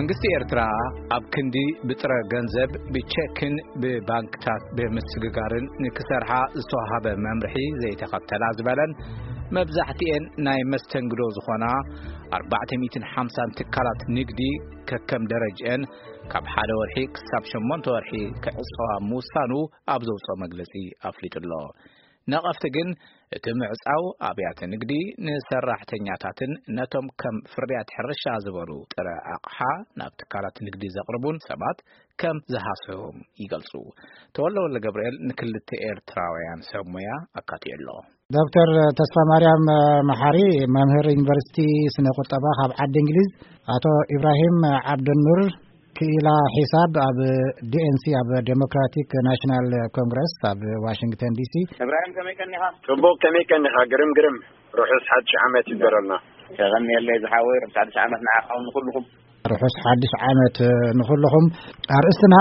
መንግስቲ ኤርትራ ኣብ ክንዲ ብጥረ ገንዘብ፣ ብቸክን ብባንክታት ብምስግጋርን ንክሰርሓ ዝተዋሃበ መምርሒ ዘይተኸተላ ዝበለን፣ መብዛሕትኤን ናይ መስተንግዶ ዝኾና ኣርባዕተ ሚእትን ሓምሳን ትካላት ንግዲ፣ ከከም ደረጅአን ካብ ሓደ ወርሒ ክሳብ ሸሞንተ ወርሒ ክዕጸዋ ምውሳኑ ኣብ ዘውፅኦ መግለጺ ኣፍሊጡ ኣሎ። ነቐፍቲ ግን፣ እቲ ምዕጻው ኣብያተ ንግዲ ንሰራሕተኛታትን ነቶም ከም ፍርያት ሕርሻ ዝበሉ ጥረ ኣቕሓ ናብ ትካላት ንግዲ ዘቕርቡን ሰባት ከም ዝሃስዎም ይገልጹ። ተወልደ ወልደ ገብርኤል ንክልተ ኤርትራውያን ሰብ ሞያ ኣካትዑ ኣሎ። ዶክተር ተስፋ ማርያም መሓሪ፣ መምህር ዩኒቨርሲቲ ስነ ቁጠባ ካብ ዓዲ እንግሊዝ፣ ኣቶ ኢብራሂም ዓብደኑር፣ ክኢላ ሒሳብ ኣብ ዲ ኤን ሲ፣ ኣብ ዴሞክራቲክ ናሽናል ኮንግረስ ኣብ ዋሽንግተን ዲ ሲ። እብራሂም፣ ከመይ ቀኒኻ? ጽቡቕ፣ ከመይ ቀኒኻ? ግርም፣ ግርም። ርሑስ ሓድሽ ዓመት ይግበረልና። የቐንየለይ ዝሓወይ፣ ርሑስ ሓድሽ ዓመት ንዓኻ ንኹልኹም። ርሑስ ሓድሽ ዓመት ንኹልኹም። ኣርእስትና፣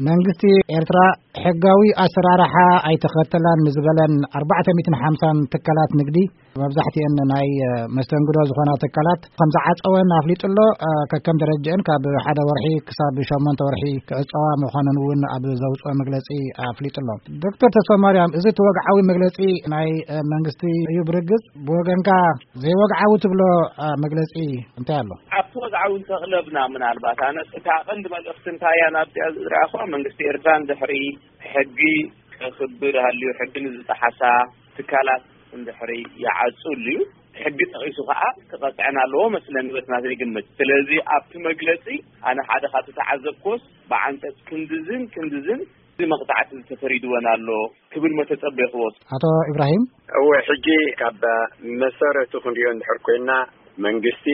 መንግስቲ ኤርትራ ሕጋዊ ኣሰራርሓ ኣይተኸተላን ንዝበለን ኣርባዕተ ሚእትን ሓምሳን ትካላት ንግዲ፣ መብዛሕትኤን ናይ፣ እ፣ መስተንግዶ ዝኾና ትካላት ከም ዝዓጸወን ኣፍሊጡ ኣሎ። እ፣ ከከም ደረጃኤን ካብ ሓደ ወርሒ ክሳብ ሸሞንተ ወርሒ ክዕጸዋ ምዃነን እውን ኣብ ዘውጽኦ መግለጺ ኣፍሊጡ ኣሎ። ዶክተር ተስፋማርያም፣ እዚ እቲ ወግዓዊ መግለጺ ናይ፣ እ፣ መንግስቲ እዩ። ብርግጽ ብወገንካ ዘይወግዓዊ ትብሎ፣ እ፣ መግለጺ እንታይ ኣሎ? ኣብቲ ወግዓዊ እንተቕለብና፣ ምናልባት ኣነ እታ ቀንዲ መልእኽቲ እንታይ እያ ናብዚኣ ዝረኣኹዋ፣ መንግስቲ ኤርትራ ንድሕሪ ሕጊ ከኽብር ሃልዩ፣ ሕጊ ንዝጠሓሳ ትካላት እንድሕሪ ይዓጹ ኣልዩ፣ ሕጊ ጠቒሱ ከኣ ክቐጽዐን ኣለዎ መስለኒ፣ በቲ ናተይ ግምት። ስለዚ ኣብቲ መግለጺ ኣነ ሓደ ካብ ዝተዓዘብኩዎስ፣ ብዓንቀጽ ክንድዝን ክንድዝን እዚ መቕጻዕቲ ዝተፈሪድወን ኣሎ ክብል መተጸበይክዎ። ኣቶ ኢብራሂም? እወ፣ ሕጂ ካብ መሰረቱ ክንሪኦ እንድሕር ኮይና፣ መንግስቲ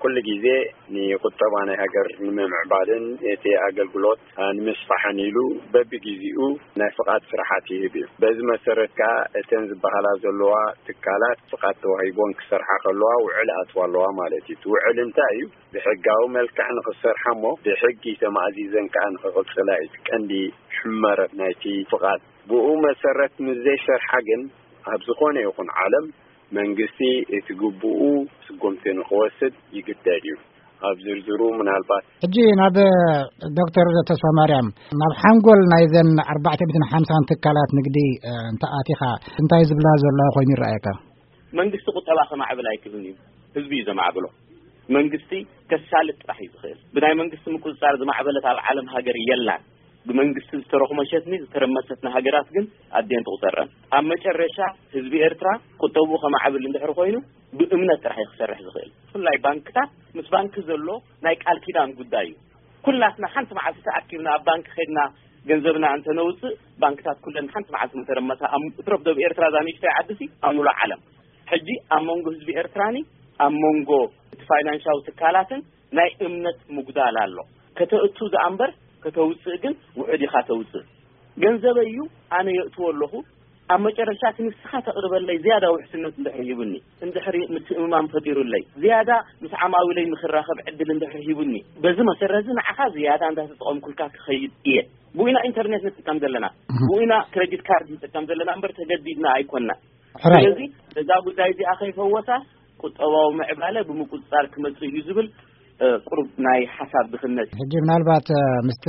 ኩሉ ግዜ ንቁጠባ ናይ ሃገር ንምምዕባልን እቲ ኣገልግሎት ንምስፋሕን ኢሉ በብግዜኡ ናይ ፍቓድ ስራሓት ይህብ እዩ። በዚ መሰረት ከኣ እተን ዝበሃላ ዘለዋ ትካላት ፍቓድ ተዋሂቦን ክሰርሓ ከለዋ ውዕል ኣትዋ ኣለዋ ማለት እዩ። እቲ ውዕል እንታይ እዩ? ብሕጋዊ መልክዕ ንኽሰርሓ እሞ ብሕጊ ተማእዚዘን ከኣ ንኽቕጽላ እዩ እቲ ቀንዲ ሕመረት ናይቲ ፍቓድ። ብኡ መሰረት ምስ ዘይሰርሓ ግን ኣብ ዝኾነ ይኹን ዓለም መንግስቲ እቲ ግቡኡ ስጉምቲ ንኽወስድ ይግደድ እዩ። ኣብ ዝርዝሩ ምናልባት ሕጂ ናብ ዶክተር ተስፋማርያም፣ ናብ ሓንጎል ናይዘን ኣርባዕተ ሚእትን ሓምሳን ትካላት ንግዲ፣ እ፣ እንተኣቲኻ እንታይ ዝብላ ዘለዋ ኮይኑ ይረኣየካ? መንግስቲ ቁጠባ ከማዕብል ኣይክእልን እዩ፣ ህዝቢ እዩ ዘማዕብሎ። መንግስቲ ከሳልጥ ጥራሕ እዩ ዝኽእል። ብናይ መንግስቲ ምቁጽጻር ዝማዕበለት ኣብ ዓለም ሃገር የላን። ብመንግስቲ ዝተረኹመሸትኒ ዝተረመሰት ንሃገራት ግን ኣድየን ትቑጸረን። ኣብ መጨረሻ ህዝቢ ኤርትራ ቁጠብኡ ከማዕብል እንድሕር ኮይኑ ብእምነት ጥራሕ እዩ ክሰርሕ ዝኽእል። ብፍላይ ባንክታት፣ ምስ ባንኪ ዘሎ ናይ ቃል ኪዳን ጉዳይ እዩ። ኩላትና ሓንቲ መዓልቲ ተኣኪብና ኣብ ባንኪ ከድና ገንዘብና እንተነውጽእ፣ ባንክታት ኩለን ሓንቲ መዓልቲ ምተረመሳ። ኣብ እትረፍ ደብ ኤርትራ እዛ ንእሽተይ ዓዲ ሲ ኣብ ምሉእ ዓለም። ሕጂ ኣብ መንጎ ህዝቢ ኤርትራኒ ኣብ መንጎ እቲ ፋይናንሻዊ ትካላትን ናይ እምነት ምጉዳል ኣሎ። ከተእቱ ዝኣንበር ከተውጽእ ግን ውሑድ ኢኻ ተውጽእ። ገንዘበይ እዩ፣ ኣነ የእትዎ ኣለኹ። ኣብ መጨረሻ እቲ ንስኻ ተቕርበለይ ዝያዳ ውሕስነት እንድሕር ሂቡኒ፣ እንድሕሪ ምትእምማን ፈጢሩለይ፣ ዝያዳ ምስ ዓማዊለይ ንኽራኸብ ዕድል እንድሕር ሂቡኒ፣ በዚ መሰረት እዚ ንዓኻ ዝያዳ እንዳተጠቐምኩልካ ክኸይድ እየ። ብኡ ኢና ኢንተርኔት ንጥቀም ዘለና፣ እህ። ብኡ ኢና ክሬዲት ካርድ ንጥቀም ዘለና እምበር ተገዲድና ኣይኮንና። ሕራይ። ስለዚ እዛ ጉዳይ እዚኣ ከይፈወሳ ቁጠባዊ ምዕባለ ብምቁጽጻር ክመጽእ እዩ ዝብል፣ እ፣ ቁሩብ ናይ ሓሳብ ድኽነት እዩ። ሕጂ ምናልባት፣ እ፣ ምስቲ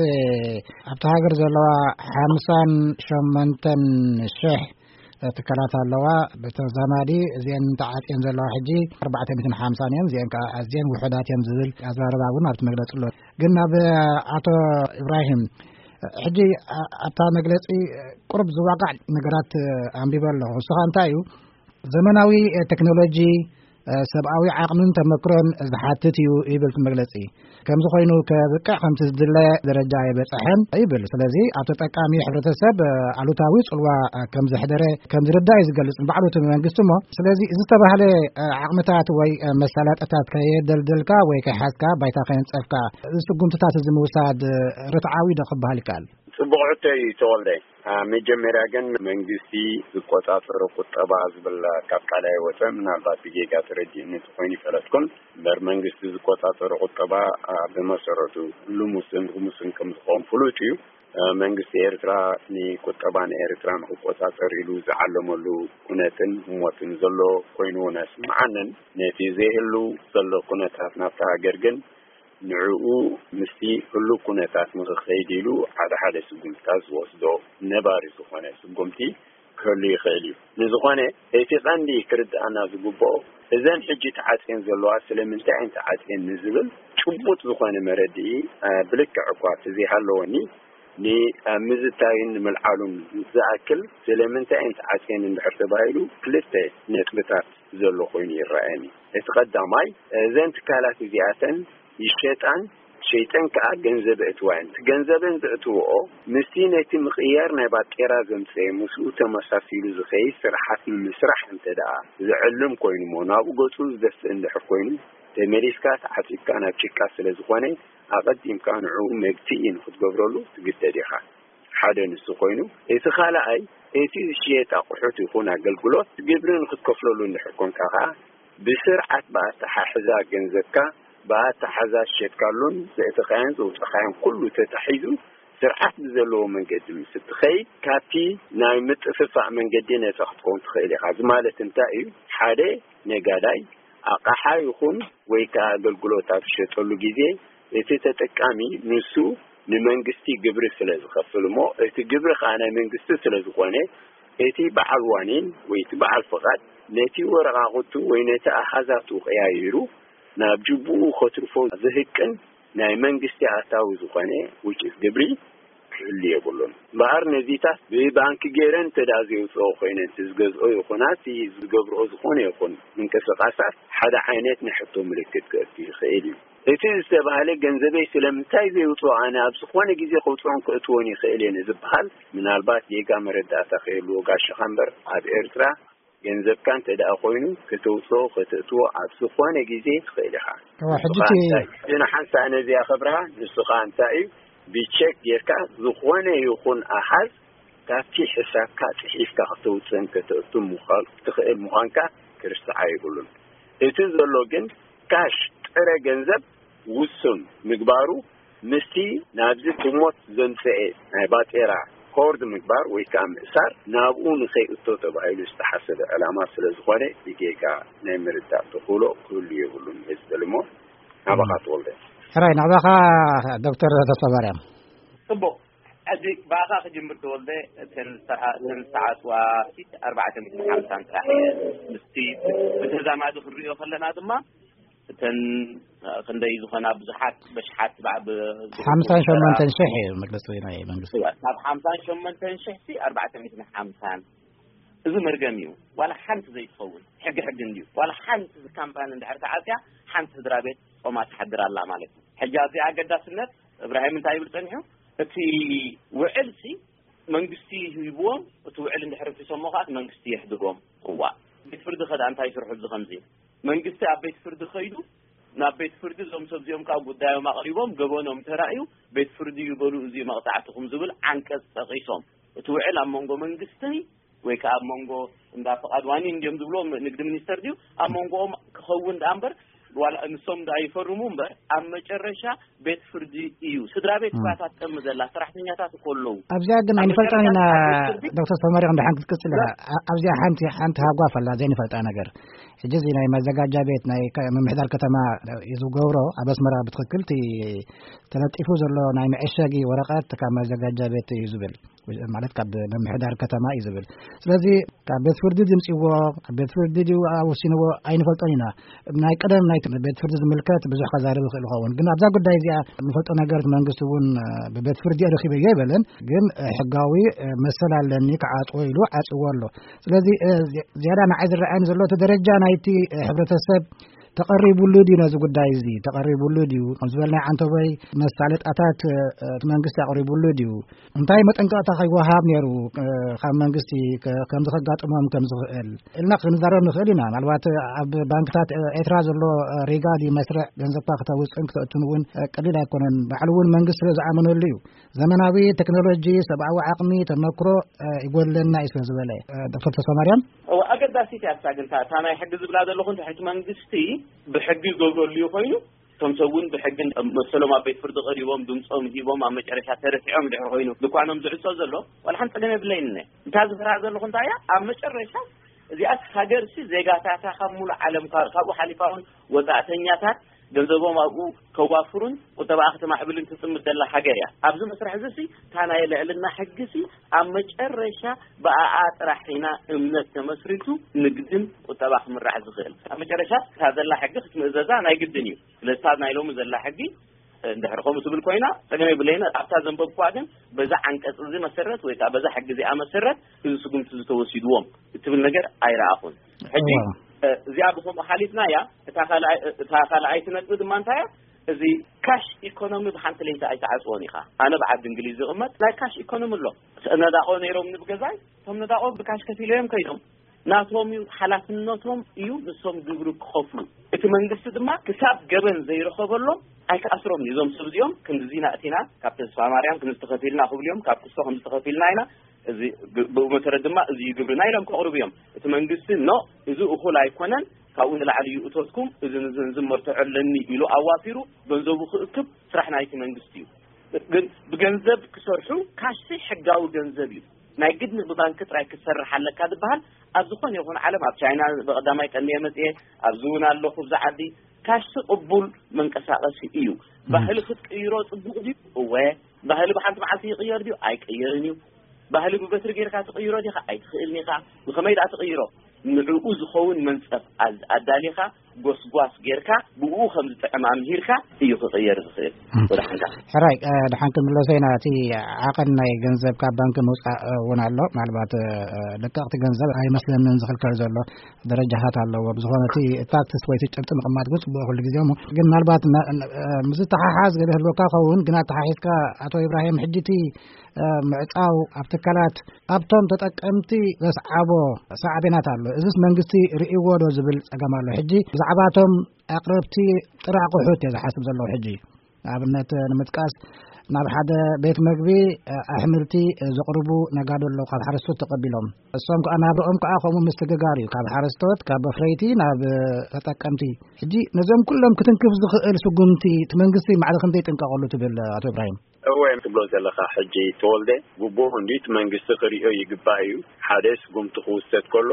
ኣብቲ ሃገር ዘለዋ ሓምሳን ሸሞንተን ሽሕ ትካላት ኣለዋ። ብተዛማዲ እዚአን ተዓጽየን ዘለዋ ሕጂ ኣርባዕተ ሚእትን ሓምሳን እየን። እዚአን ከኣ ኣዝየን ውሑዳት እየን ዝብል ኣዘራርባ እውን ኣብቲ መግለጺ ኣሎ። ግን ናብ ኣቶ ኢብራሂም፣ ሕጂ ኣ-፣ ኣብታ መግለጺ ቁሩብ ዝዋቃዕ ነገራት ኣንቢበ ኣለኹ። ንስኻ እንታይ እዩ፣ ዘመናዊ ቴክኖሎጂ ሰብኣዊ ዓቕምን ተመክሮን ዝሓትት እዩ ይብል እቲ መግለጺ። ከምዚ ኮይኑ ከብቅዕ ከምቲ ዝድለ ደረጃ ኣይበጽሐን ይብል። ስለዚ ኣብ ተጠቃሚ ሕብረተሰብ ኣሉታዊ ጽልዋ ከም ዘሕደረ ከም ዝርዳእ እዩ ዝገልጽ ንባዕሉ እቲ መንግስቲ እሞ። ስለዚ ዝተባህለ ዓቕምታት ወይ መሳለጥታት ከየደልደልካ ወይ ከይሓዝካ ባይታ ከየንጸፍካ እዚ ስጉምትታት እዚ ምውሳድ ርትዓዊ ዶ ክበሃል ይከኣል? ጽቡቕ ሕቶ እዩ ተወልደ። አ፣ መጀመርያ ግን መንግስቲ ዝቆጻጸሮ ቁጠባ ዝብል ካብ ቃል ኣይወጸ፣ ምናልባት ብጌጋ ተረዲእኒ እንተኾይኑ ይፈለጥኩን። እምበር መንግስቲ ዝቆጻጸሮ ቁጠባ፣ አ፣ ብመሰረቱ ልሙስን ርሙስን ከም ዝኾን ፍሉጥ እዩ። አ፣ መንግስቲ ኤርትራ ንቁጠባ ንኤርትራ ንክቆጻጸር ኢሉ ዝዓለመሉ ኩነትን ህሞትን ዘሎ ኮይኑ እውን ኣይስምዓንን። ነቲ ዘይህሉ ዘሎ ኩነታት ናብታ ሃገር ግን ንዕኡ ምስቲ ህሉው ኩነታት ንኽኸይድ ኢሉ ሓደ ሓደ ስጉምትታት ዝወስዶ ነባሪ ዝኾነ ስጉምቲ ክህሉ ይኽእል እዩ። ንዝኾነ እቲ ቀንዲ ክርድኣና ዝግብኦ እዘን ሕጂ ተዓጽየን ዘለዋ ስለምንታይ እየን ተዓጽየን ንዝብል ጭቡጥ ዝኾነ መረድኢ ብልክዕ እኳ ተዘይሃለወኒ ንምዝታይን ንምልዓሉን ዝኣክል ስለምንታይ እየን ተዓጽየን እንድሕር ተባሂሉ ክልተ ነጥብታት ዘሎ ኮይኑ ይረኣየኒ። እቲ ቀዳማይ እዘን ትካላት እዚኣተን ይሸጣን ሸይጠን ከኣ ገንዘብ እትዋየን ገንዘበን ዘእትወኦ ምስቲ ነቲ ምቕያር ናይ ባጤራ ዘምፀየ ምስኡ ተመሳሲሉ ዝኸይድ ስርሓት ንምስራሕ እንተ ደኣ ዝዕልም ኮይኑ እሞ ናብኡ ገፁ ዝደፍእ እንድሕር ኮይኑ ተመሊስካ ተዓፂብካ ናብ ጭቃ ስለ ዝኾነ ኣቐዲምካ ንዕኡ መግትኢ ንክትገብረሉ ትግደድ ኢኻ። ሓደ ንሱ ኮይኑ እቲ ካልኣይ እቲ ዝሽየጥ ኣቑሑት ይኹን ኣገልግሎት ግብሪ ንክትከፍለሉ እንድሕር ኮንካ ከዓ ብስርዓት ብኣተሓሕዛ ገንዘብካ ብኣተሓዛ ዝሸጥካሉን ዘእተኻዮን ዘውፀኻዮን ኩሉ ተታሒዙ ስርዓት ብዘለዎ መንገዲ ምስ እትኸይድ ካብቲ ናይ ምጥፍፋእ መንገዲ ነፃ ክትከውን ትኽእል ኢኻ። እዚ ማለት እንታይ እዩ? ሓደ ነጋዳይ ኣቕሓ ይኹን ወይ ከዓ ኣገልግሎት ኣብ ዝሸጠሉ ግዜ እቲ ተጠቃሚ ንሱ ንመንግስቲ ግብሪ ስለ ዝኸፍል እሞ እቲ ግብሪ ከዓ ናይ መንግስቲ ስለ ዝኾነ እቲ በዓል ዋኒን ወይ እቲ በዓል ፍቓድ ነቲ ወረቓቕቱ ወይ ነቲ ኣሃዛቱ ቀያይሩ ናብ ጅቡኡ ከትርፎ ዝህቅን ናይ መንግስቲ ኣታዊ ዝኾነ ውጭት ግብሪ ክህሉ የብሉን። እምበኣር ነዚታት ብባንኪ ገይረን እንተ ደኣ ዘውፅኦ ኮይነን እቲ ዝገዝኦ ይኹና እቲ ዝገብርኦ ዝኾነ ይኹን ምንቅስቃሳት ሓደ ዓይነት ናይ ሕቶ ምልክት ከእቱ ይኽእል እዩ። እቲ ዝተባህለ ገንዘበይ ስለምንታይ ዘይውፅኦ ኣነ ኣብ ዝኾነ ግዜ ከውፅኦን ከእትዎን ይኽእል እየ ንዝበሃል ምናልባት ጌጋ መረዳእታ ከይህልዎ ጋሻኻ እምበር ኣብ ኤርትራ ገንዘብካ እንተ ደኣ ኮይኑ ከተውፅኦ ከተእትዎ ኣብ ዝኾነ ግዜ ትኽእል ኢኻ። እዋ፣ ሕጂ እቲ እቲ ንሓንሳእ ነዚኣ ክብርሃ ንሱ ኸዓ እንታይ እዩ ብቸክ ጌርካ ዝኾነ ይኹን ኣሃዝ ካብቲ ሕሳብካ ፅሒፍካ ከተውፅእን ከተእቱ ምዃን ትኽእል ምዃንካ ክርስዓ የብሉን። እቲ ዘሎ ግን ካሽ ጥረ ገንዘብ ውሱን ምግባሩ ምስቲ ናብዚ ብሞት ዘምፀኤ ናይ ባጤራ ኮርድ ምግባር ወይ ከዓ ምእሳር ናብኡ ንኸይእቶ ተባሂሉ ዝተሓሰበ ዕላማ ስለ ዝኾነ ብጌጋ ናይ ምርዳእ ተኽእሎ ክህሉ የብሉን እየ ዝብል እሞ ናባኻ ተወልደ። ሕራይ ናባኻ ዶክተር ተስፋማርያም። ጽቡቕ። ሕጂ ብኣኻ ክጅምር ተወልደ። እተን ዝተዓ- እተን ዝተዓጽዋ ፊት ኣርባዕተ ሚእትን ሓምሳን ጥራሕ እየን። ምስቲ ብተዛማዲ ክንሪኦ ከለና ድማ እተን ክንደይ ዝኾና ብዙሓት በሽሓት ብዓ- ብ- ሓምሳን ሸሞንተን ሽሕ እዩ መግለፂ ናይ መንግስቲ። ካብ ሓምሳን ሸሞንተን ሽሕ ሲ ኣርባዕተ ሚእትን ሓምሳን እዚ መርገም እዩ። ዋላ ሓንቲ ዘይትኸውን ሕጊ ሕጊ እንድዩ። ዋላ ሓንቲ እዚ ካምፓኒ እንድሕር ተዓፅያ ሓንቲ ስድራ ቤት ጾማ ትሓድር ኣላ ማለት እዩ። ሕጂ ኣብዚኣ ኣገዳስነት እብራሂም እንታይ ይብል ጸኒሑ? እቲ ውዕል ሲ መንግስቲ ሂብዎም፣ እቲ ውዕል እንድሕር ኣፍሪሶሞ ከኣ እቲ መንግስቲ የሕድጎም። እዋ፣ ቤት ፍርዲ ከ ደኣ እንታይ ይስርሑ ኣብዚ ከምዚ? መንግስቲ ኣብ ቤት ፍርዲ ከይዱ ናብ ቤት ፍርዲ እዞም ሰብ እዚኦም ከኣ ጉዳዮም ኣቕሪቦም ገበኖም ተራእዩ ቤት ፍርዲ ይበሉ እዚ መቕጻዕትኹም ዝብል ዓንቀጽ ጠቒሶም እቲ ውዕል ኣብ መንጎ መንግስቲ ወይ ከዓ ኣብ መንጎ እንዳ ፍቓድ ዋኒን እንዲዮም ዝብሎ ንግዲ ሚኒስተር ድዩ ኣብ መንጎኦም ክኸውን ደኣ እምበር ዋላ ንሶም ደኣ ይፈርሙ እምበር ኣብ መጨረሻ ቤት ፍርዲ እዩ። ስድራ ቤት እኳ እታ ትጠሚ ዘላ ሰራሕተኛታት እኮ ኣለዉ። ኣብዚኣ ግን ኣብ ኣይንፈልጣን ኢና። መጨረሻ ቤት ፍርዲ ዶክተር ተመሪቕ እንድሓን ክትቅፅል ኢኻ። ኣ- ኣብዚኣ ሓንቲ ሓንቲ ሃጓፍ ኣላ ዘይንፈልጣ ነገር። ሕጂ እዚ ናይ መዘጋጃ ቤት ናይ ከ- ምምሕዳር ከተማ እዩ ዝገብሮ። ኣብ ኣስመራ ብትኽክል እቲ ተለጢፉ ዘሎ ናይ መዐሸጊ ወረቐት ካብ መዘጋጃ ቤት እዩ ዝብል ማለት ካብ ምምሕዳር ከተማ እዩ ዝብል። ስለዚ ካብ ቤት ፍርዲ ድምፅዎ ቤት ፍርዲ ድዩ ወሲንዎ ኣይንፈልጦን ኢና። ናይ ቀደም ናይ ቤት ፍርዲ ዝምልከት ብዙሕ ከዛርብ ይኽእል ይኸውን፣ ግን ኣብዛ ጉዳይ እዚኣ ንፈልጦ ነገር መንግስቲ እውን ብቤት ፍርዲ ረኪበዮ ኣይበለን፣ ግን ሕጋዊ መሰል ኣለኒ ክዓፅዎ ኢሉ ዓፅዎ ኣሎ። ስለዚ ዝያዳ ንዓይ ዝረኣየኒ ዘሎ እቲ ደረጃ ናይቲ ሕብረተሰብ ተቐሪቡሉ ድዩ ነዚ ጉዳይ እዚ ተቐሪቡሉ ድዩ ከም ዝበልናይ ዓንተቦይ መሳለጣታት እቲ መንግስቲ ኣቕሪቡሉ ድዩ እንታይ መጠንቀቕታ ከይወሃብ ነይሩ ካብ መንግስቲ ከምዚ ከጋጥሞም ከም ዝኽእል ኢልና ክንዛረብ ንኽእል ኢና። ምናልባት ኣብ ባንክታት ኤርትራ ዘሎ ሪጋ ድዩ መስርዕ ገንዘብካ ክተውፅእን ክተእቱን እውን ቀሊል ኣይኮነን። ባዕሉ እውን መንግስቲ ስለ ዝኣመነሉ እዩ። ዘመናዊ ቴክኖሎጂ ሰብኣዊ ዓቕሚ ተመክሮ ይጎድለና እዩ ስለ ዝበለ ዶክተር ተስፋማርያም እወ ኣገዳሲት እያ እሳ ግን እታ ናይ ሕጊ ዝብላ ዘለኹ እንተ ሕቲ መንግስቲ ብሕጊ ይገብረሉ እዩ ኮይኑ እቶም ሰብ እውን ብሕጊ መሰሎም ኣብ ቤት ፍርዲ ቀሪቦም ድምፆም ሂቦም ኣብ መጨረሻ ተረቲዖም ድሕሪ ኮይኑ ድኳኖም ዝዕፆ ዘሎ ዋላ ሓንቲ ፀገም የብለይን እነ እንታ ዝፈርሃ ዘለኹ እንታይ እያ ኣብ መጨረሻ እዚኣስ ሃገርሲ ዜጋታታ ካብ ሙሉእ ዓለም ካብኡ ሓሊፋ እውን ወፃእተኛታት ገንዘቦም ኣብኡ ከዋፍሩን ቁጠባኣ ከተማዕብልን ትጽምድ ዘላ ሃገር እያ። ኣብዚ መስርሕ እዚ ሲ እታ ናይ ልዕልና ሕጊ ሲ ኣብ መጨረሻ ብኣኣ ጥራሕ ኢና እምነት ተመስሪቱ ንግድን ቁጠባ ክምራሕ ዝኽእል። ኣብ መጨረሻ እታ ዘላ ሕጊ ክትምእዘዛ ናይ ግድን እዩ። ስለዚ እታ ናይ ሎሚ ዘላ ሕጊ እንድሕር ከምኡ ትብል ኮይና ጸገም የብለይን። ኣብታ ዘንበብኩዋ ግን በዛ ዓንቀጽ እዚ መሰረት ወይ ከዓ በዛ ሕጊ እዚኣ መሰረት እዚ ስጉምቲ ዝተወሲድዎም እትብል ነገር ኣይረኣኹን። ሕጂ እዚኣ ብከምኡ ሓሊፍናያ እታ ካልኣይቲ ነጥቢ ድማ እንታይ እያ? እዚ ካሽ ኢኮኖሚ ብሓንቲ ለይቲ ኣይተዓፅዎን ኢኻ። ኣነ ብዓዲ እንግሊዝ ዝቕመጥ ናይ ካሽ ኢኮኖሚ ኣሎ። ነዳቆ ነይሮም ንብገዛይ እቶም ነዳቆ ብካሽ ከፊለዮም ከይዶም ናቶም እዩ ሓላፍነቶም እዩ ንሶም ግብሪ ክኸፍሉ። እቲ መንግስቲ ድማ ክሳብ ገበን ዘይረኸበሎም ኣይክኣስሮም እዩ። እዞም ሰብ እዚኦም ክንድዚ ናእቲና ካብ ተስፋ ማርያም ክንዚ ተኸፊልና ክብሉ እዮም፣ ካብ ክስቶ ክንዚ ተኸፊልና ኢና፣ እዚ ብኡ መሰረት ድማ እዚ እዩ ግብርና ኢሎም ከቕርቡ እዮም። እቲ መንግስቲ ኖ እዚ እኹል ኣይኮነን፣ ካብኡ ንላዕሊ እዩ እቶትኩም፣ እዚ ንዝን ዝመርትዖ ኣለኒ ኢሉ ኣዋፊሩ ገንዘቡ ክእክብ ስራሕ ናይቲ መንግስቲ እዩ። ግን ብገንዘብ ክሰርሑ ካሽ ሕጋዊ ገንዘብ እዩ። ናይ ግድን ብባንክ ጥራይ ክትሰርሕ ኣለካ ዝበሃል ኣብ ዝኾነ ይኹን ዓለም ኣብ ቻይና ብቐዳማይ ቀንዲ መጽኤ ኣብዚ እውን ኣለኹ ኣብዚ ዓዲ ካሽ ቅቡል መንቀሳቐሲ እዩ። ባህሊ ክትቅይሮ ጽቡቕ ድዩ? እወ። ባህሊ ብሓንቲ መዓልቲ ይቕየር ድዩ? ኣይቅየርን እዩ። ባህሊ ብበትሪ ጌርካ ትቕይሮ ዲኻ? ኣይትኽእልን ኢኻ። ብኸመይ ደኣ ትቕይሮ? ንዕኡ ዝኸውን መንጸፍ ኣዳሊኻ ጎስጓስ ጌርካ ብኡ ከም ዝጥዕም ኣምሂርካ እዩ ክቕየር ዝኽእል። ወደ ሓንካ ሕራይ ድሓን ክንምለሰ ኢና። እቲ ዓቐን ናይ ገንዘብ ካብ ባንኪ ምውፃእ እውን ኣሎ። ምናልባት ለቀቕቲ ገንዘብ ኣይመስለንን ዝኽልከል ዘሎ ደረጃታት ኣለዎ። ብዝኾነ እቲ ታክስ ወይ እቲ ጭብጢ ምቕማጥ ግን ፅቡቅ ኩሉ ግዜ እሞ ግን ምናልባት ምስ ተሓሓዝ ገለ ህልወካ ከውን ግን ኣተሓሒዝካ ኣቶ ኢብራሂም ሕጂ እቲ ምዕፃው ኣብ ትካላት ኣብቶም ተጠቀምቲ ዘስዓቦ ሳዕቤናት ኣሎ። እዚስ መንግስቲ ርእይዎ ዶ ዝብል ፀገም ኣሎ። ሕጂ ብዛዕባቶም ኣቕረብቲ ጥረ ኣቑሑት እየ ዝሓስብ ዘለኹ። ሕጂ ንኣብነት ንምጥቃስ ናብ ሓደ ቤት መግቢ ኣሕምልቲ ዘቕርቡ ነጋዶ ኣለዉ ካብ ሓረስቶት ተቐቢሎም እሶም ከዓ ናብርኦም ከዓ ከምኡ ምስትግጋር እዩ ካብ ሓረስቶት ካብ ኣፍረይቲ ናብ ተጠቀምቲ። ሕጂ ነዞም ኩሎም ክትንክፍ ዝኽእል ስጉምቲ እቲ መንግስቲ ማዕረ ክንደይ ይጥንቀቐሉ ትብል ኣቶ ኢብራሂም? እወ ትብሎ ዘለኻ ሕጂ ተወልደ ግቡእ እንዲ እቲ መንግስቲ ክሪኦ ይግባእ እዩ። ሓደ ስጉምቲ ክውሰድ ከሎ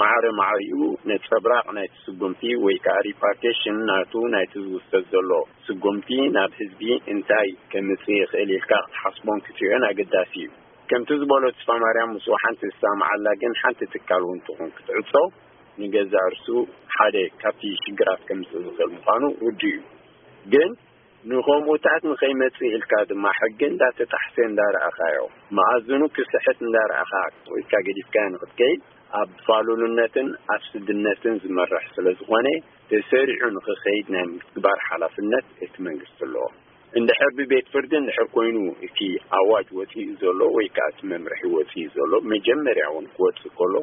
ማዕረ ማዕሪኡ ነጸብራቕ ናይቲ ስጉምቲ ወይ ከዓ ሪፓርቴሽን ናቱ ናይቲ ዝውሰድ ዘሎ ስጉምቲ ናብ ህዝቢ እንታይ ከምጽእ ይኽእል ኢልካ ክትሓስቦን ክትሪኦን ኣገዳሲ እዩ። ከምቲ ዝበሎ ተስፋ ማርያም ምስኡ ሓንቲ ዝሰማማዓላ ግን ሓንቲ ትካል እውን ትኹን ክትዕጾ ንገዛእ ርሱ ሓደ ካብቲ ሽግራት ከምጽእ ዝኽእል ምዃኑ ርዱእ እዩ። ግን ንኸምኡታት ንኸይመጽእ ኢልካ ድማ ሕጊ እንዳተጣሕሰ እንዳረኣኻዮ መኣዝኑ ክስሕት እንዳረኣኻ ኢልካ ገዲፍካዮ ንኽትከይድ ኣብ ፋሉልነትን ኣብ ስድነትን ዝመርሕ ስለ ዝኾነ ተሰሪዑ ንኽኸይድ ናይ ምግባር ሓላፍነት እቲ መንግስቲ ኣለዎ። እንድሕር ብቤት ፍርዲ እንድሕር ኮይኑ እቲ ኣዋጅ ወፂኡ ዘሎ ወይ ከዓ እቲ መምርሒ ወፂኡ ዘሎ መጀመርያ እውን ክወፅእ ከሎ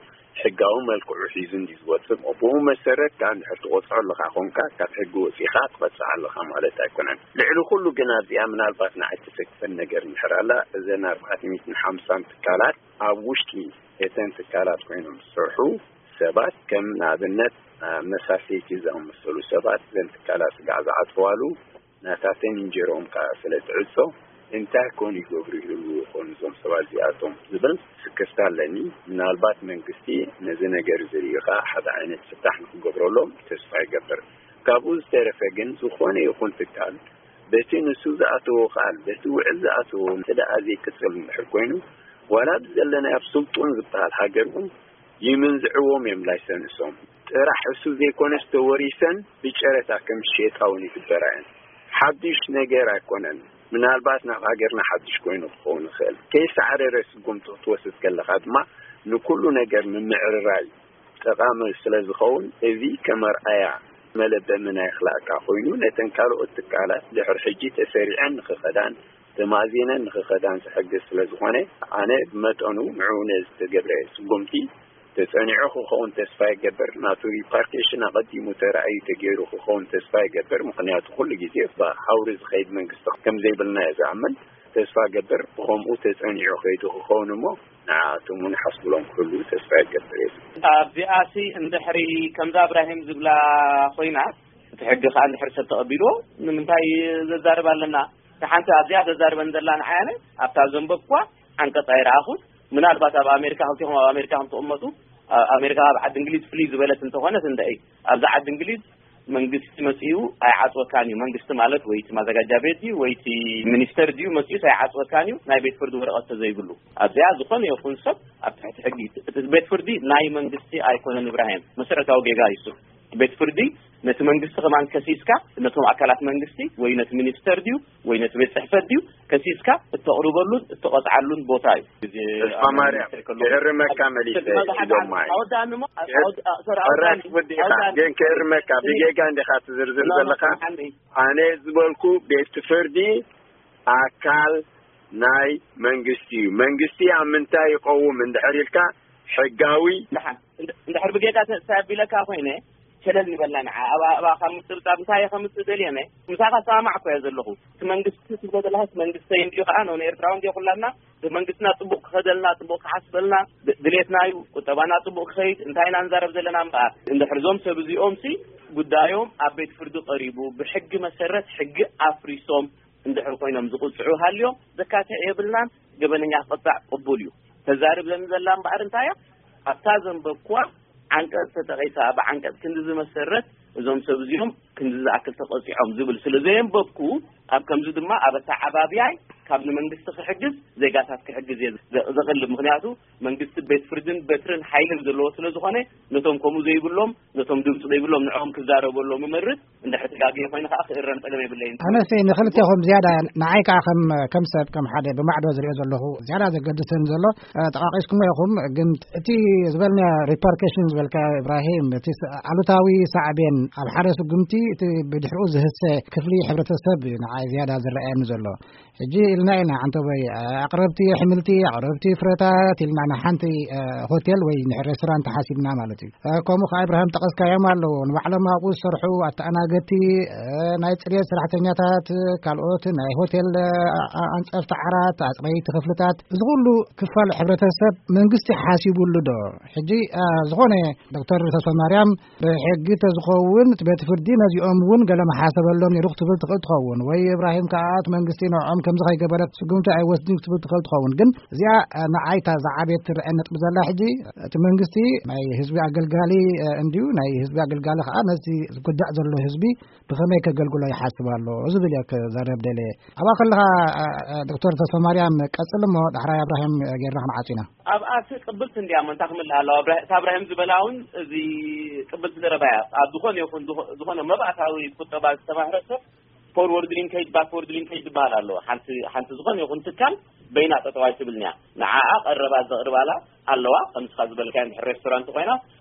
ሕጋዊ መልክዑ ሒዙ እንዲ ዝወፅእ ብኡ መሰረት ከዓ እንድሕር ትቆፅዖ ኣለካ ኮንካ ካብ ሕጊ ወፂእካ ትቐፅዕ ኣለካ ማለት ኣይኮነን። ልዕሊ ኩሉ ግን ኣብዚኣ ምናልባት ንዓይ ትሰክፈን ነገር እንድሕር ኣላ እዘን ኣርባዕተ ሚእትን ሓምሳን ትካላት ኣብ ውሽጢ እተን ትካላት ኮይኖም ዝሰርሑ ሰባት ከም ንኣብነት መሳሰይቲ ዝኣመሰሉ ሰባት እዘን ትካላት ስጋዕ ዝዓፅዋሉ ናታተን እንጀርኦም ከዓ ስለ ትዕፆ እንታይ ኮን ይገብሩ ይህሉ ይኾኑ እዞም ሰባት እዚኣቶም ዝብል ስክፍታ ኣለኒ። ምናልባት መንግስቲ ነዚ ነገር ዝርኢ ከዓ ሓደ ዓይነት ፍታሕ ንክገብረሎም ተስፋ ይገብር። ካብኡ ዝተረፈ ግን ዝኾነ ይኹን ትካል በቲ ንሱ ዝኣተዎ ቃል በቲ ውዕል ዝኣተዎ እንተ ደኣ ዘይቅፅል እንድሕር ኮይኑ ዋላ ብዘለናይ ኣብ ስልጡን ዝበሃል ሃገር እውን ይምንዝዕዎም እዮም ላይሰንሶም ጥራሕ እሱ ዘይኮነስ ተወሪሰን ብጨረታ ከም ዝሸጣ እውን ይግበራ እየን። ሓዱሽ ነገር ኣይኮነን። ምናልባት ናብ ሃገርና ሓዱሽ ኮይኑ ክኸውን ይኽእል። ከይሳዕረረ ስጉምቲ ክትወስድ ከለኻ ድማ ንኩሉ ነገር ምምዕርራይ ጠቓሚ ስለ ዝኸውን እዚ ከም ኣርኣያ መለበሚ ናይ ክላእካ ኮይኑ ነተን ካልኦት ትካላት ድሕሪ ሕጂ ተሰሪዐን ንኽኸዳን ተማእዚነን ንኽኸዳን ዝሕግዝ ስለ ዝኾነ ኣነ ብመጠኑ ንዕኡ ነዝተገብረ ስጉምቲ ተጸኒዑ ክኸውን ተስፋ ይገብር። ናቱ ሪፓርቴሽን ኣቐዲሙ ተራእዩ ተገይሩ ክኸውን ተስፋ ይገብር። ምኽንያቱ ኩሉ ግዜ ብሃውሪ ዝኸይድ መንግስቲ ከም ዘይብልና እየ ዝኣምን። ተስፋ ገብር ብኸምኡ ተጸኒዑ ከይዱ ክኸውን እሞ ንዓኣቶም እውን ሓስብሎም ክህሉ ተስፋ ይገብር እየ። ኣብዚኣሲ እንድሕሪ ከምዛ እብራሂም ዝብላ ኮይና እቲ ሕጊ ከዓ እንድሕሪ ሰብ ተቐቢልዎ ንምንታይ ዘዛርብ ኣለና? ሓንቲ ኣብዚኣ ዘዛርበን ዘላ ንዓያነ ኣብታ ዘንበብኳ ዓንቀፅ ኣይረኣኹን። ምናልባት ኣብ ኣሜሪካ ከምቲኹም ኣብ ኣሜሪካ ከም ትቕመጡ ኣሜሪካ ኣብ ዓዲ እንግሊዝ ፍልይ ዝበለት እንተኾነት እንደ ኣብዛ ዓዲ እንግሊዝ መንግስቲ መጺኡ ኣይዓጽወካን እዩ። መንግስቲ ማለት ወይ እቲ ማዘጋጃ ቤት እዩ ወይ እቲ ሚኒስተር ድዩ መጺኡ ኣይዓጽወካን እዩ፣ ናይ ቤት ፍርዲ ወረቐት ተዘይብሉ። ኣብዚኣ ዝኾነ ይኹን ሰብ ኣብ ትሕቲ ሕጊ፣ እቲ ቤት ፍርዲ ናይ መንግስቲ ኣይኮነን። እብራሂም፣ መሰረታዊ ጌጋ እዩ እሱ። ቤት ፍርዲ ነቲ መንግስቲ ከማን ከሲስካ፣ ነቶም ኣካላት መንግስቲ ወይ ነቲ ሚኒስተር ድዩ ወይ ነቲ ቤት ጽሕፈት ድዩ ከሲስካ እተቕርበሉን እተቐጽዓሉን ቦታ እዩ። ተስፋ ማርያም፣ ክእርመካ መሊሰ ኢሎም ማይ። ኣወዳኒ እሞ፣ ኣወድ-፣ ኣ-፣ ሶሪ፣ ኣወዳኒ፣ ወዲኻ ኣወዳኒ። ግን ክእርመካ፣ ብጌጋ እንዲኻ ትዝርዝር ዘለኻ። ኣነ ዝበልኩ ቤት ፍርዲ ኣካል ናይ መንግስቲ እዩ። መንግስቲ ኣብ ምንታይ ይቐውም እንድሕር ኢልካ፣ ሕጋዊ። ደሓን፣ እንድ-፣ እንድሕር ብጌጋ ተ-፣ ተቢለካ ኮይነ፣ ሸለል ንበላ ንዓ። ኣብ ኣእባ ካብ ምጥብጣብ እንታይ እየ ከምፅእ ደልየነ? ምሳኻ ሰማማዕ እኮ እየ ዘለኹ። እቲ መንግስቲ ትብሎ ዘለኻ እቲ መንግስተይ እንዲዩ ከዓ፣ ኖ ንኤርትራዊ እንዲዮ ኩላና፣ መንግስትና ጽቡቕ ክኸደልና፣ ጽቡቕ ክሓስበልና ድ-፣ ድሌትና እዩ። ቁጠባና ጽቡቕ ክኸይድ፣ እንታይ ኢና ንዛረብ ዘለና እምበኣር? እንድሕር እዞም ሰብ እዚኦም ሲ ጉዳዮም ኣብ ቤት ፍርዲ ቀሪቡ፣ ብሕጊ መሰረት ሕጊ ኣፍሪሶም እንድሕር ኮይኖም ዝቕጽዑ ሃልዮም፣ ዘካትዕ የብልናን። ገበነኛ ክቕጻዕ ቅቡል እዩ። ተዛርብ ዘን ዘላ እምበኣር እንታይ እያ? ኣብታ ዘንበብኩዋ ዓንቀጽ ተጠቒሳ፣ ብዓንቀጽ ክንዲ ዝመሰረት እዞም ሰብ እዚኦም ክንዲ ዝኣክል ተቐጺዖም ዝብል ስለ ዘየንበብኩ፣ ኣብ ከምዚ ድማ ኣብ ኣተዓባብያይ ካብ ንመንግስቲ ክሕግዝ፣ ዜጋታት ክሕግዝ እየ ዘ-፣ ዘቕልብ። ምኽንያቱ መንግስቲ ቤት ፍርድን በትርን ሓይልን ዘለዎ ስለ ዝኾነ፣ ነቶም ከምኡ ዘይብሎም፣ ነቶም ድምፂ ዘይብሎም ንዕኦም ክዛረበሎም እመርጽ። እንድሕር ተጋግየ ኮይነ ከዓ ክእረም ጸገም የብለይን። ኣነሲ ንኽልቴኹም ዝያዳ፣ ንዓይ ከዓ ከም፣ ከም ሰብ፣ ከም ሓደ ብማዕዶ ዝሪኦ ዘለኹ ዝያዳ ዘገድሰኒ ዘሎ፣ እ፣ ጠቓቒስኩሞ ኢኹም፣ ግን እቲ ዝበልናዮ ሪፐርከሽን ዝበልካዮ፣ ኢብራሂም፣ እቲ ስ-፣ ኣሉታዊ ሳዕቤን ኣብ ሓደ ስጉምቲ እቲ ብድሕሪኡ ዝህሰ ክፍሊ ሕብረተሰብ እዩ ንዓይ ዝያዳ ዝረኣየኒ ዘሎ። ሕጂ ኢልና ኢና፣ ዓንተቦይ፣ ኣቕረብቲ ኣሕምልቲ፣ ኣቕረብቲ ፍረታት ኢልና ንሓንቲ፣ እ፣ ሆቴል ወይ ሬስቶራንት ሓሲብና ማለት እዩ። እ፣ ከምኡ ከኣ፣ እብራሂም፣ ጠቐስካዮም ኣለዉ። ንባዕሎም ኣብኡ ዝሰርሑ ኣተኣናገድቲ፣ እ፣ ናይ ጽሬት ሰራሕተኛታት፣ ካልኦት ናይ ሆቴል፣ እ፣ ኣ-፣ ኣንጸፍቲ ዓራት፣ ኣጽረይቲ ክፍልታት፣ እዚ ኩሉ ክፋል ሕብረተሰብ መንግስቲ ሓሲቡሉ ዶ? ሕጂ፣ እ፣ ዝኾነ ዶክተር ተስፋማርያም፣ ብሕጊ ተዝኸውን፣ እቲ ቤት ፍርዲ ነዚኦም እውን ገለ መሓሰበሎም ነይሩ ክትብል ትኽእል ትኸውን። ወይ እብራሂም ከኣ፣ እቲ መንግስቲ ንዕኦም ከምዚ ከይገበረ ስጉምቲ ኣይወስድን ክትብል ትኽእል ትኸውን። ግን እዚኣ፣ እ፣ ንዓይ እታ ዝዓበየት ትረአ ነጥቢ ዘላ፣ ሕጂ እቲ መንግስቲ ናይ ህዝቢ ኣገልጋሊ፣ እ፣ እንድዩ። ናይ ህዝቢ ኣገልጋሊ ከኣ ነዚ ዝጉዳእ ዘሎ ህዝቢ ብኸመይ ከገልግሎ ይሓስብ ኣሎ ዝብል እየ ክዛረብ ደልየ። ኣብኣ ከለኻ፣ እ፣ እ፣ ዶክተር ተስፋማርያም ቀጽል እሞ፣ ዳሕራይ እብራሂም ጌርና ክንዓጹ ኢና። ኣብኣ ሲ ቅብልቲ እንድያ እሞ እንታይ ክምልእ ኣለዋ? እብራ-፣ እታ እብራሂም ዝበላ እውን እዚ ቅብልቲ ዘረባ እያ። ኣብ ዝኾነ ይኹን ዝኾ-፣ ዝኾነ መባእታዊ ቁጠባ ዝተማህረ ሰብ ፎርወርድ ሊንኬጅ፣ ባክወርድ ሊንኬጅ ዝበሃል ኣለዎ። ሓንቲ፣ ሓንቲ ዝኾነ ይኹን ትካል በይና ጠጠው ኣይትብልን እያ። ንዓኣ ቀረባት ዘቕርባላ ኣለዋ። ከምስኻ ዝበልካዮ እንድሕር ሬስቶራንት ኮይና፣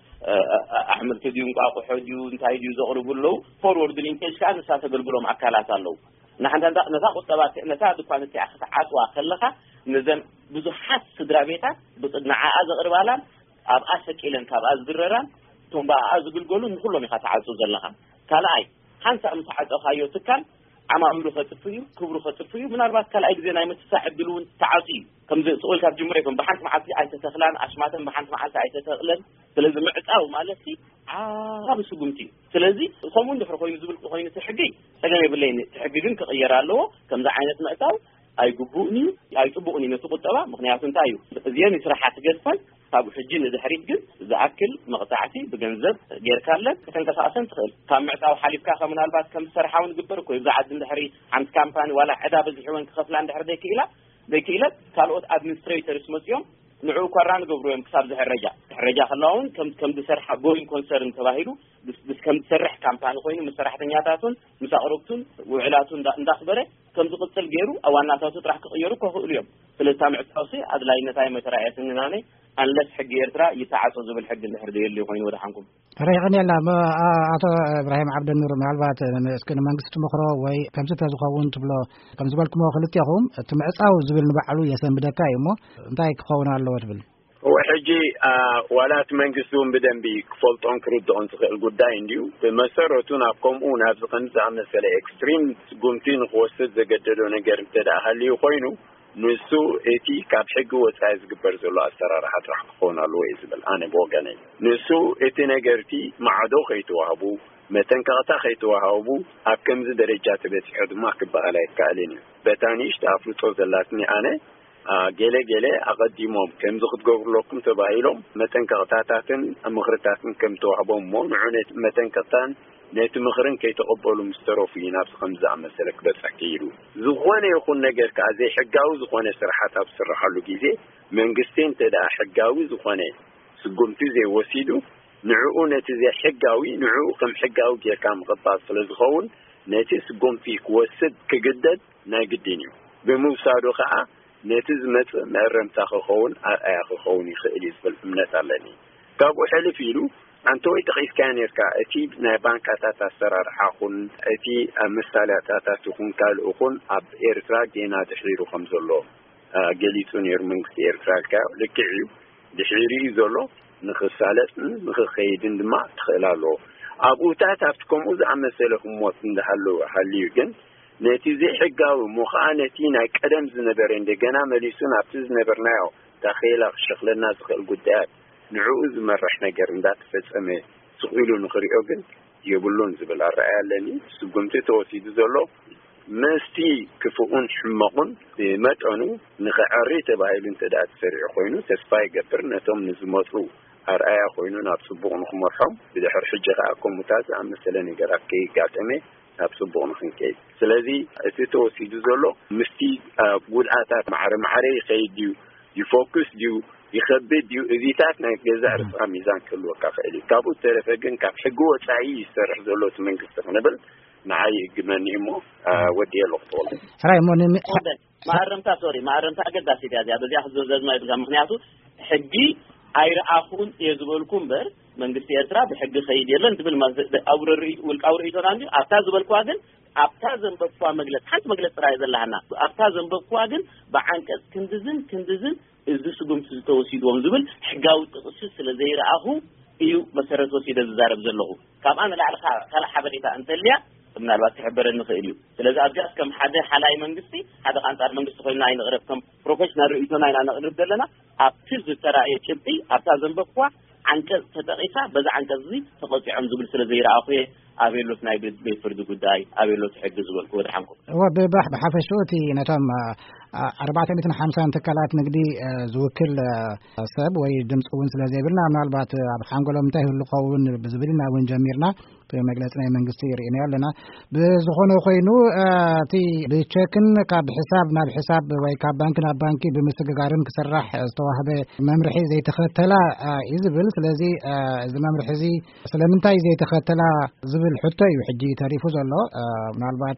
እ፣ እ፣ ኣሕምልቲ ድዩ፣ እንቋቑሖ ድዩ፣ እንታይ ድዩ ዘቕርቡ ኣለዉ። ፎርወርድ ሊንኬጅ ከዓ ንሳ ተገልግሎም ኣካላት ኣለዉ። ንሓንታ ነታ ቁጠባ፣ ነታ ድኳን እቲኣ ክትዓጽዋ ከለኻ፣ ነዘን ብዙሓት ስድራ ቤታት ብጽ-፣ ንዓኣ ዘቕርባላን ኣብኣ ሰቂለን ካብኣ ዝድረራን እቶም ብኣኣ ዝግልገሉ ንኹሎም ኢኻ ትዓጹ ዘለኻ። ካልኣይ፣ ሓንሳእ ምስ ዓጸኻዮ ትካል ዓማዊሉ ከጥፍ እዩ፣ ክብሩ ከጥፍ እዩ። ምናልባት ካልኣይ ግዜ ናይ ምትሳዕ ዕድል እውን ተዓጽዩ እዩ። ከምዚ ስቕ ኢልካ ትጅምሮ ይኮን፣ ብሓንቲ መዓልቲ ኣይተተኽላን፣ ኣሽማተን ብሓንቲ መዓልቲ ኣይተተኽለን። ስለዚ ምዕጻው ማለት ሲ ዓቢ ስጉምቲ እዩ። ስለዚ ከምኡ እንድሕር ኮይኑ ዝብል ኮይኑ እቲ ሕጊ ጸገም የብለይን። እቲ ሕጊ ግን ክቕየር ኣለዎ። ከምዚ ዓይነት ምዕጻው ኣይግቡእን እዩ፣ ኣይጽቡቕን እዩ ነቲ ቁጠባ። ምኽንያቱ እንታይ እዩ? እዚአን ስራሓት ገድፈን ካብ ሕጂ ንድሕሪት ግን ዝኣክል መቕጻዕቲ ብገንዘብ ጌርካለን ከተንቀሳቕሰን ትኽእል። ካብ ምዕጻው ሓሊፍካ ከ ምናልባት ከም ዝሰርሓ እውን ግበር እኮ እዩ። ብዛ ዓዲ እንድሕሪ ሓንቲ ካምፓኒ ዋላ ዕዳ በዚሕወን ክኸፍላ እንድሕር ዘይክኢላ፣ ዘይክኢለን ካልኦት ኣድሚኒስትሬተርስ መጺኦም ንዕኡ ኮራ ንገብሩ እዮም ክሳብ ዝሕረጃ። ክሕረጃ ከለዋ እውን ከም፣ ከም ዝሰርሓ ጎይንግ ኮንሰርን ተባሂሉ ብስ-፣ ብስ-፣ ከም ዝሰርሕ ካምፓኒ ኮይኑ ምስ ሰራሕተኛታቱን ምስ ኣቕረብቱን ውዕላቱ እንዳ-፣ እንዳኽበረ ከም ዝቕጽል ገይሩ ኣብ ዋናታቱ ጥራሕ ክቕየሩ ከኽእሉ እዮም። ስለዚ እታ ምዕጻውሲ ኣድላይነታ ኣይመተራእየትንን ኣነ፣ ኣንለስ ሕጊ ኤርትራ ይተዓጾ ዝብል ሕጊ እንድሕር ዘየልዩ ኮይኑ ወደሓንኩም። ርሒቕን የላ። ም-፣ ኣ-፣ ኣቶ እብራሂም ዓብደኑር፣ ምናልባት ን-፣ እስኪ ንመንግስቲ ትመኽሮ ወይ ከምዚ ተዝኸውን ትብሎ፣ ከም ዝበልኩሞ ክልቴኹም፣ እቲ ምዕጻው ዝብል ንባዕሉ የሰንብደካ እዩ እሞ፣ እንታይ ክኸውን ኣለዎ ትብል? እወ፣ ሕጂ፣ ኣ፣ ዋላ እቲ መንግስቲ እውን ብደንቢ ክፈልጦን ክርድኦን ዝኽእል ጉዳይ እንድዩ። ብመሰረቱ ናብ ከምኡ፣ ናብዚ ከምዚ ዝኣመሰለ ኤክስትሪም ስጉምቲ ንክወስድ ዘገደዶ ነገር እንተ ደኣ ሃልዩ ኮይኑ፣ ንሱ እቲ ካብ ሕጊ ወጻኢ ዝግበር ዘሎ ኣሰራርሓ ጥራሕ ክኸውን ኣለዎ እየ ዝብል ኣነ ብወገነይ። ንሱ እቲ ነገርቲ ማዕዶ ከይተዋህቡ፣ መጠንቀቕታ ከይተዋሃቡ ኣብ ከምዚ ደረጃ ተበጺሑ ድማ ክበሃል ኣይከኣልን እዩ። በታ ንእሽቶ ኣፍልጦ ዘላትኒ ኣነ ገለ ገለ ኣቐዲሞም ከምዚ ክትገብሩ ኣለኩም ተባሂሎም መጠንቀቕታታትን ምኽርታትን ከም ተዋህቦም እሞ፣ ንዑ ነቲ መጠንቀቕታን ነቲ ምኽርን ከይተቐበሉ ምስ ተረፉ እዩ ናብዚ ከምዚ ዝኣመሰለ ክበጽሕ ክኢሉ። ዝኾነ ይኹን ነገር ከኣ ዘይሕጋዊ ዝኾነ ስራሓት ኣብ ዝስርሓሉ ግዜ፣ መንግስቲ እንተ ደኣ ሕጋዊ ዝኾነ ስጉምቲ ዘይወሲዱ፣ ንዕኡ ነቲ ዘይሕጋዊ ንዕኡ ከም ሕጋዊ ጌርካ ምቕባል ስለ ዝኸውን፣ ነቲ ስጉምቲ ክወስድ ክግደድ ናይ ግድን እዩ። ብምውሳዱ ከኣ ነቲ ዝመጽእ መእረምታ ክኸውን ኣርኣያ ክኸውን ይኽእል እዩ ዝብል እምነት ኣለኒ። ካብኡ ሕልፍ ኢሉ ኣንተ ወይ ጠቒስካዮ ነርካ፣ እቲ ናይ ባንካታት ኣሰራርሓ ኹን እቲ ኣብ መሳለጥያታት ይኹን ካልእ ኹን ኣብ ኤርትራ ጌና ድሒሩ ከም ዘሎ፣ አ፣ ገሊጹ ነይሩ መንግስቲ ኤርትራ ኢልካዮ። ልክዕ እዩ። ድሒሩ እዩ ዘሎ። ንኽሳለጥን ንኽኸይድን ድማ ትኽእል ኣለዎ። ኣብኡታት ኣብቲ ከምኡ ዝኣመሰለ ህሞት እንዳሃለወ ሃልዩ ግን ነቲ ዘይሕጋዊ እሞ ኸዓ ነቲ ናይ ቀደም ዝነበረ እንደገና መሊሱ ናብቲ ዝነበርናዮ ታኼላ ክሸኽለና ዝኽእል ጉዳያት ንዕኡ ዝመርሕ ነገር እንዳተፈጸመ ስቕ ኢሉ ንኽሪኦ ግን የብሉን ዝብል ኣረኣእያ ኣለኒ። ስጉምቲ ተወሲዱ ዘሎ ምስቲ ክፉኡን ሕመቑን ብመጠኑ ንኽዐሪ ተባሂሉ እንተ ደኣ ተሰሪዑ ኮይኑ፣ ተስፋ ይገብር ነቶም ንዝመጹ ኣርኣያ ኮይኑ ናብ ጽቡቕ ንኽመርሖም፣ ብድሕሪ ሕጂ ከኣ ከምኡታት ዝኣመሰለ ነገራት ከይጋጠመ ናብ ጽቡቕ ንኽንከይድ። ስለዚ እቲ ተወሲዱ ዘሎ ምስቲ፣ አ፣ ጉድኣታት ማዕረ ማዕረ ይኸይድ ድዩ፣ ይፎክስ ድዩ፣ ይኸብድ ድዩ፣ እዚታት ናይ ገዛእ ርእስኻ ሚዛን ክህልወካ ክእል እዩ። ካብኡ ዝተረፈ ግን ካብ ሕጊ ወጻኢ ይሰርሕ ዘሎ እቲ መንግስቲ ክንብል ንዓይ ይእግመኒ እሞ፣ አ፣ ወዲ ኣለኹ ተወልደ። ሕራይ እሞ ንሚ-፣ ሕራይ፣ መኣረምታ፣ ሶሪ፣ መኣረምታ ኣገዳሲት እያ እዚኣ። በዚኣ ክዘዘዝማ ይብልካ። ምኽንያቱ ሕጊ ኣይረኣኹን እየ ዝበልኩ እምበር መንግስቲ ኤርትራ ብሕጊ ከይድ የለን ትብል ማ-፣ ኣብ ርእይ-፣ ውልቃዊ ርእይቶና እንድዩ። ኣብታ ዝበልኩዋ ግን፣ ኣብታ ዘንበብኩዋ መግለጽ፣ ሓንቲ መግለጽ ጥራይ ዘለሃና። ኣብታ ዘንበብኩዋ ግን ብዓንቀጽ ክንድዝን ክንድዝን እዚ ስጉምቲ ዝተወሲድዎም ዝብል ሕጋዊ ጥቕሲ ስለ ዘይረኣኹ እዩ መሰረት ወሲደ ዝዛረብ ዘለኹ። ካብኣ ንላዕሊ ካ-፣ ካልእ ሓበሬታ እንተልያ ምናልባት ክሕበረኒ ይኽእል እዩ። ስለዚ ኣብዚኣስ ከም ሓደ ሓላይ መንግስቲ፣ ሓደ ከ ኣንጻር መንግስቲ ኮይንና ኣይንቕረብ፣ ከም ፕሮፌሽናል ርእይቶና ኢና ነቕርብ ዘለና። ኣብቲ ዝተራእየ ጭብጢ፣ ኣብታ ዘንበብኩዋ ዓንቀጽ ተጠቒሳ፣ በዛ ዓንቀጽ እዚ ተቐጺዖም ዝብል ስለ ዘይረኣኹ እየ ኣበየሎት ናይ ቤት፣ ቤት ፍርዲ ጉዳይ፣ ኣበየሎት ሕጊ ዝበልኩ ወድሓንኩም። እወ፣ ብባሕ-፣ ብሓፈሽኡ እቲ ነቶም፣ አ፣ አ፣ ኣርባዕተ ሚእትን ሓምሳን ትካላት ንግዲ፣ አ፣ ዝውክል፣ አ፣ ሰብ ወይ ድምፂ እውን ስለ ዘይብልና፣ ምናልባት ኣብ ሓንጎሎም እንታይ ይህሉ ክኸውን ብዝብል ኢና እውን ጀሚርና። እቲ መግለፂ ናይ መንግስቲ ርኢናዮ ኣለና። ብዝኾነ ኮይኑ፣ አ፣ እቲ ብቸክን ካብ ሕሳብ ናብ ሕሳብ ወይ ካብ ባንኪ ናብ ባንኪ ብምስግጋርን ክስራሕ ዝተዋህበ መምርሒ ዘይተኸተላ፣ አ፣ እዩ ዝብል። ስለዚ፣ አ፣ እዚ መምርሒ እዚ ስለምንታይ ዘይተኸተላ ዝብል ሕቶ እዩ ሕጂ ተሪፉ ዘሎ። አ፣ ምናልባት፣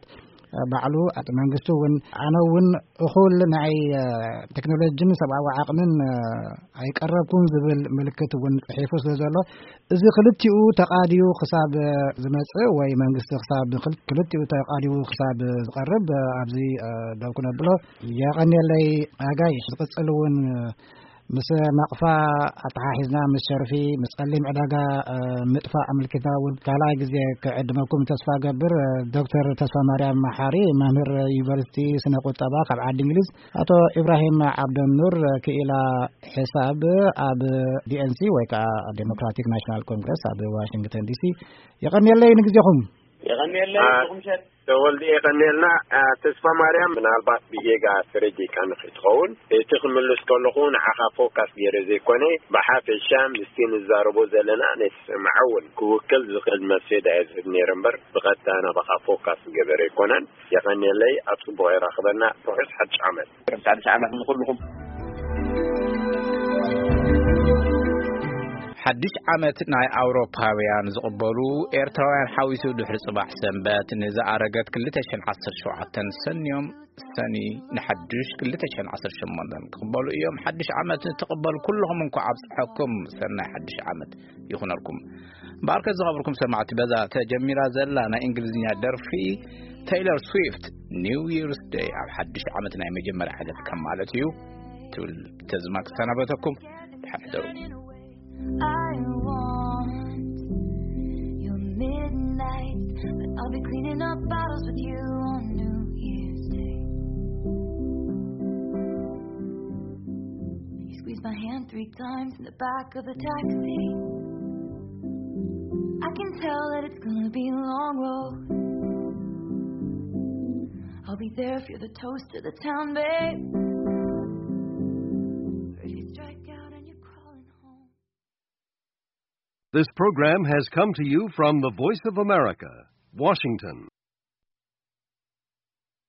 አ፣ ባዕሉ እቲ መንግስቲ እውን፣ ኣነ እውን እኹል ናይ፣ አ፣ ቴክኖሎጂን ሰብኣዊ ዓቕምን፣ አ፣ ኣይቀረብኩን ዝብል ምልክት እውን ጽሒፉ ስለ ዘሎ፣ እዚ ክልቲኡ ተቓድዩ ክሳብ፣ አ፣ ዝመጽእ ወይ መንግስቲ ክሳብ ክል-፣ ክልቲኡ ተቓድዩ ክሳብ ዝቐርብ፣ አ፣ ኣብዚ፣ አ፣ ደው ክነብሎ። የቐንየለይ ኣጋይ። ዝቕጽል እውን፣ አ፣ ምስ ናቕፋ ኣተሓሒዝና ምስ ሸርፊ፣ ምስ ጸሊም ዕዳጋ፣ እ፣ ምጥፋእ ኣመልኪትና እውን ካልኣይ ግዜ ክዕድመኩም ተስፋ እገብር። እ፣ ዶክተር ተስፋ ማርያም መሓሪ፣ መምህር ዩኒቨርሲቲ ስነ ቁጠባ ካብ ዓዲ እንግሊዝ፣ ኣቶ ኢብራሂም ዓብደኑር፣ ክኢላ ሕሳብ ኣብ ዲ ኤን ሲ ወይ ከዓ ዴሞክራቲክ ናሽናል ኮንግረስ ኣብ ዋሽንግተን ዲ ሲ። የቐንየለይ ንግዜኹም። የቐንየለይ። አ፣ ንኹም ሸት። ተወልደ የቐንየልና። አ፣ ተስፋ ማርያም፣ ምናልባት ብጌጋ ተረዲእካ ንኽትኸውን፣ እቲ ክምልስ ከለኹ ንዓኻ ፎካስ ገይረ ዘይኮነ፣ ብሓፈሻ ምስቲ ንዛረቦ ዘለና ነቲ ሰማዒ እውን ክውክል ዝኽእል መልሲ እየ ዝህብ ነይረ እምበር፣ ብቐጥታ ናባኻ ፎካስ ዝገበረ ኣይኮነን። የቐንየለይ፣ ኣብ ጽቡቕ የራኽበና። ርሑስ ሓድሽ ዓመት። ርሑስ ሓድሽ ዓመት ንኹልኹም። ሓድሽ ዓመት ናይ ኣውሮፓውያን ዝቕበሉ ኤርትራውያን ሓዊሱ ድሕሪ ጽባሕ ሰንበት ንዝኣረገት ክልተ ሽሕን ዓሰርተ ሸውዓተን ሰንዮም ሰኒ ንሓድሽ ክልተ ሽሕን ዓሰርተ ሸሞንተን ክቕበሉ እዮም። ሓድሽ ዓመት ንትቕበሉ ኩልኹም እንኳዕ ኣብጽሐኩም። ሰናይ ሓድሽ ዓመት ይኹነልኩም። እምበኣርከ ዝኸበርኩም ሰማዕቲ፣ በዛ ተጀሚራ ዘላ ናይ እንግሊዝኛ ደርፊ ቴይለር ስዊፍት ኒው ይርስ ደይ ኣብ ሓድሽ ዓመት ናይ መጀመርያ ዕለት ከም ማለት እዩ ትብል ተዝማ ክሰናበተኩም። ደሓን ሕደሩ። I want your midnight, but I'll be cleaning up bottles with you on New Year's Day. You squeeze my hand three times in the back of the taxi. I can tell that it's gonna be a long road. I'll be there if you're the toast of the town, babe. This program has come to you from the Voice of America, Washington.